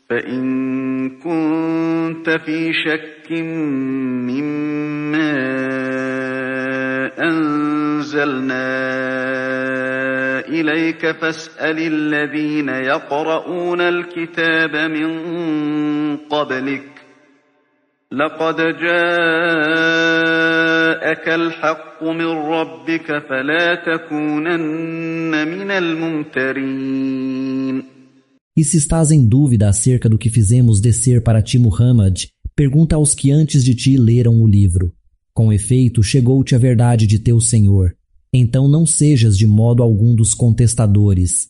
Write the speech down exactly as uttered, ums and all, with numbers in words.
فإن كنت في شك مما أنزلنا إليك فاسأل الذين يقرؤون الكتاب من قبلك لقد جاءك الحق من ربك فلا تكونن من الممترين. E se estás em dúvida acerca do que fizemos descer para ti, Muhammad, pergunta aos que antes de ti leram o livro. Com efeito, chegou-te a verdade de teu Senhor. Então não sejas de modo algum dos contestadores.